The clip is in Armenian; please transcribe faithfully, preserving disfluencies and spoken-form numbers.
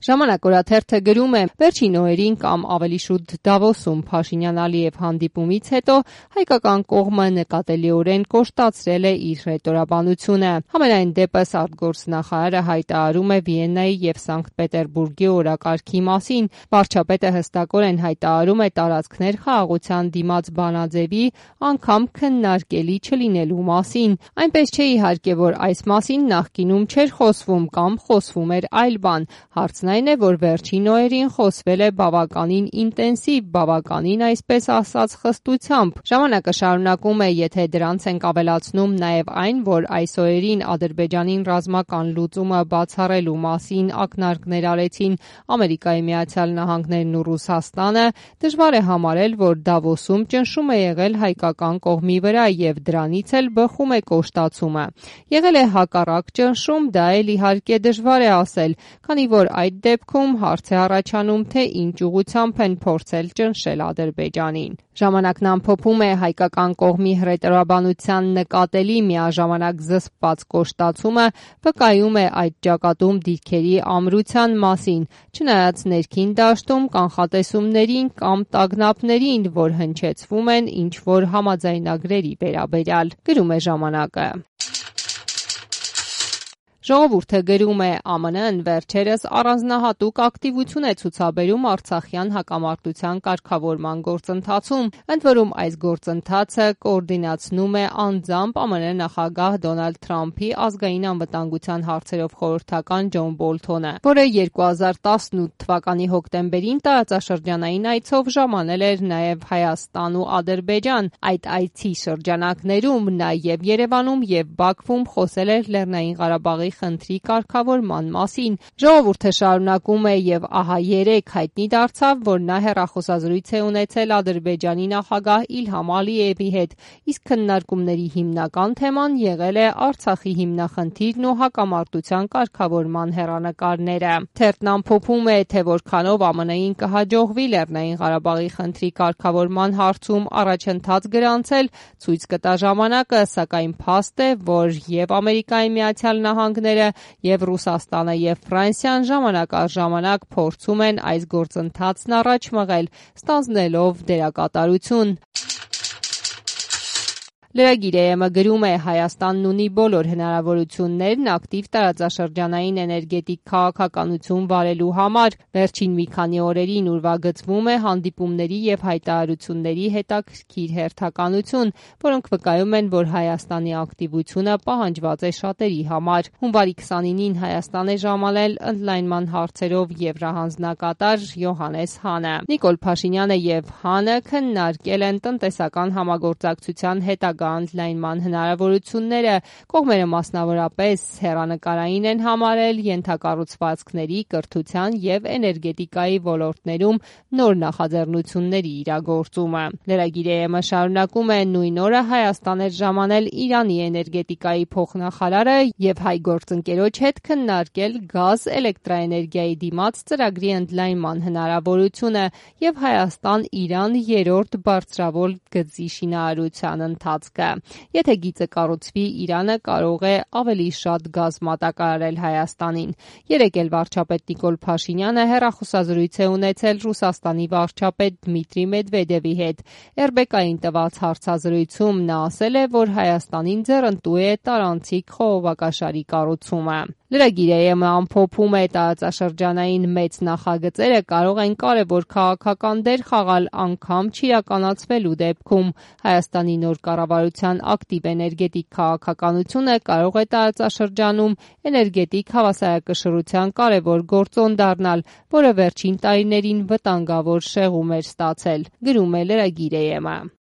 Ժամանակ օրաթերթը գրում է. վերջին օրերին կամ ավելի շուտ Դավոսում Փաշինյան-Ալիև հանդիպումից հետո հայկական կողմը նկատելիորեն կոշտացրել է իր հռետորաբանությունը։ Համենայն դեպս արտգործնախարարը հայտարարում է Վիեննայի եւ Սանկտ Պետերբուրգի օրակարգի մասին։ Վարչապետը հստակորեն հայտարարում է տարածքներ խաղաղության դիմաց բանաձևի անգամ քննարկելի չլինելու մասին։ Այնպես չէ իհարկե, որ այս մասին նախկինում չէր խոսվում կամ խոսվում էր այլ բան։ Հարցն այն է, որ վերջին օրերին խոսվել է բավականին ինտենսիվ, բավականին այսպես ասած խստությամբ։ Ժամանակը շարունակում է, եթե դրանց ենք ավելացնում նաև այն, որ այս օրերին Ադրբեջանին ռազմական լուծումը բացառելու մասին ակնարկներ արեցին Ամերիկայի Միացյալ Նահանգներն ու Ռուսաստանը, դժվար է համարել, որ Դավոսում ճնշում է եղել հայկական կողմի վրա եւ դրանից էլ բխում է կոշտացումը։ Եղել է հակառակ ճնշում, դա էլ իհարկե դժվար է ասել, քանի որ այդ դեպքում հարց է առաջանում, թե ինչ ուղղությամբ են փորձել ճնշել Ադրբեջանին։ Ժամանակն ամփոփում է հայկական կողմի հռետորաբանության նկատելի միաժամանակ զսպված կոշտացումը վկայում է այդ ճակատում դիրքերի ամրության մասին, չնայած ներքին դաշտում կանխատեսումներին կամ տագնապներին, որ հնչեցվում են ինչ-որ համաձայնագրերի վերաբերյալ, գրում է ժամանակը։ Ժողովուրդը գրում է. «Է Մ Ն-ն վերջերս առանձնահատուկ ակտիվություն է ցուցաբերում արցախյան հակամարտության կարգավորման գործընթացում, ընդ որում այս գործընթացը կոորդինացնում է անձամբ Է Մ Ն նախագահ Դոնալդ Թրամփի ազգային անվտանգության հարցերով խորհրդական Ջոն Բոլթոնը, որը երկու հազար տասնութ թվականի հոկտեմբերին տարածաշրջանային այցով ժամանել էր նաև Հայաստան ու Ադրբեջան։ Այդ այցի շրջանակներում նա եւ Երևանում եւ Բաքվում խոսել էր Լեռնային Ղարաբաղի խնդրի կարգավորման մասին։ Ժողովուրդը շարունակում է եւ ահա երեկ հայտնի դարձավ, որ նա հեռախոսազրույց է ունեցել Ադրբեջանի նախագահ Իլհամ Ալիևի հետ, իսկ քննարկումների հիմնական թեման եղել է Արցախի հիմնախնդիրն ու հակամարտության կարգավորման հեռանկարները։ Թերթն ամփոփում է, թե որքանով Է Մ Ն-ին կհաջողվի Լեռնային Ղարաբաղի խնդրի կարգավորման հարցում առաջընթաց գրանցել, ցույց կտա ժամանակը, սակայն փաստ է, որ եւ Ամերիկայի Միացյալ Նահանգները եւ Ռուսաստանը եւ Ֆրանսիան ժամանակ առ ժամանակ փորձում են այս գործընթացն առաջ մղել, ստանձնելով դերակատարություն։ Լրագիր Է Մ գրում է. Հայաստանն ունի բոլոր հնարավորություններն ակտիվ տարածաշրջանային էներգետիկ քաղաքականություն վարելու համար։ Վերջին մի քանի օրերին ուրվագծվում է հանդիպումների եւ հայտարարությունների հետաքրքիր հերթականություն, որոնք վկայում են, որ Հայաստանի ակտիվությունը պահանջված է շատերի համար։ Հունվարի քսանինին Հայաստան է ժամանել ընդլայնման հարցերով եվրահանձնակատար Յոհաննես Հանը։ Նիկոլ Փաշինյանը եւ Հանը քննարկել են տնտեսական համագործակցության հետագա ընդլայնման հնարավորությունները, կողմերը մասնավորապես հեռանկարային են համարել ենթակառուցվածքների, կրթության եւ էներգետիկայի ոլորտներում նոր նախաձեռնությունների իրագործումը։ Լրագիր Է Մ շարունակում է. նույն օրը Հայաստան էր ժամանել Իրանի էներգետիկայի փոխնախարարը եւ հայ գործընկերոջ հետ քննարկել գազ էլեկտրաէներգիայի դիմաց ծրագրի ընդլայնման հնարավորությունը եւ Հայաստան-Իրան երրորդ բարձրավոր գծի շինարարության ընթացքը։ Եթե գիծը կառուցվի, Իրանը կարող է ավելի շատ գազ մատակարարել Հայաստանին։ Երեկ էլ վարչապետ Նիկոլ Փաշինյանը հեռախոսազրույց է ունեցել Ռուսաստանի վարչապետ Դմիտրի Մեդվեդևի հետ։ Էր Բե Կային տված հարցազրույցում նա ասել է, որ Հայաստանին ձեռնտու է տարանցիկ խողովակաշարի կառուցումը։ Լրագիր Է Մ ամփոփում է. տարածաշրջանային մեծ նախագծերը կարող են կարևոր քաղաքական դեր խաղալ անգամ չիրականացվելու դեպքում։ Հայաստանի նոր կառավարության ակտիվ էներգետիկ քաղաքականությունը կարող է տարածաշրջանում էներգետիկ հավասարակշռության կարևոր գործոն դառնալ, որը վերջին տարիներին վտանգավոր շեղում էր ստացել, գրում է լրագիր Է Մ։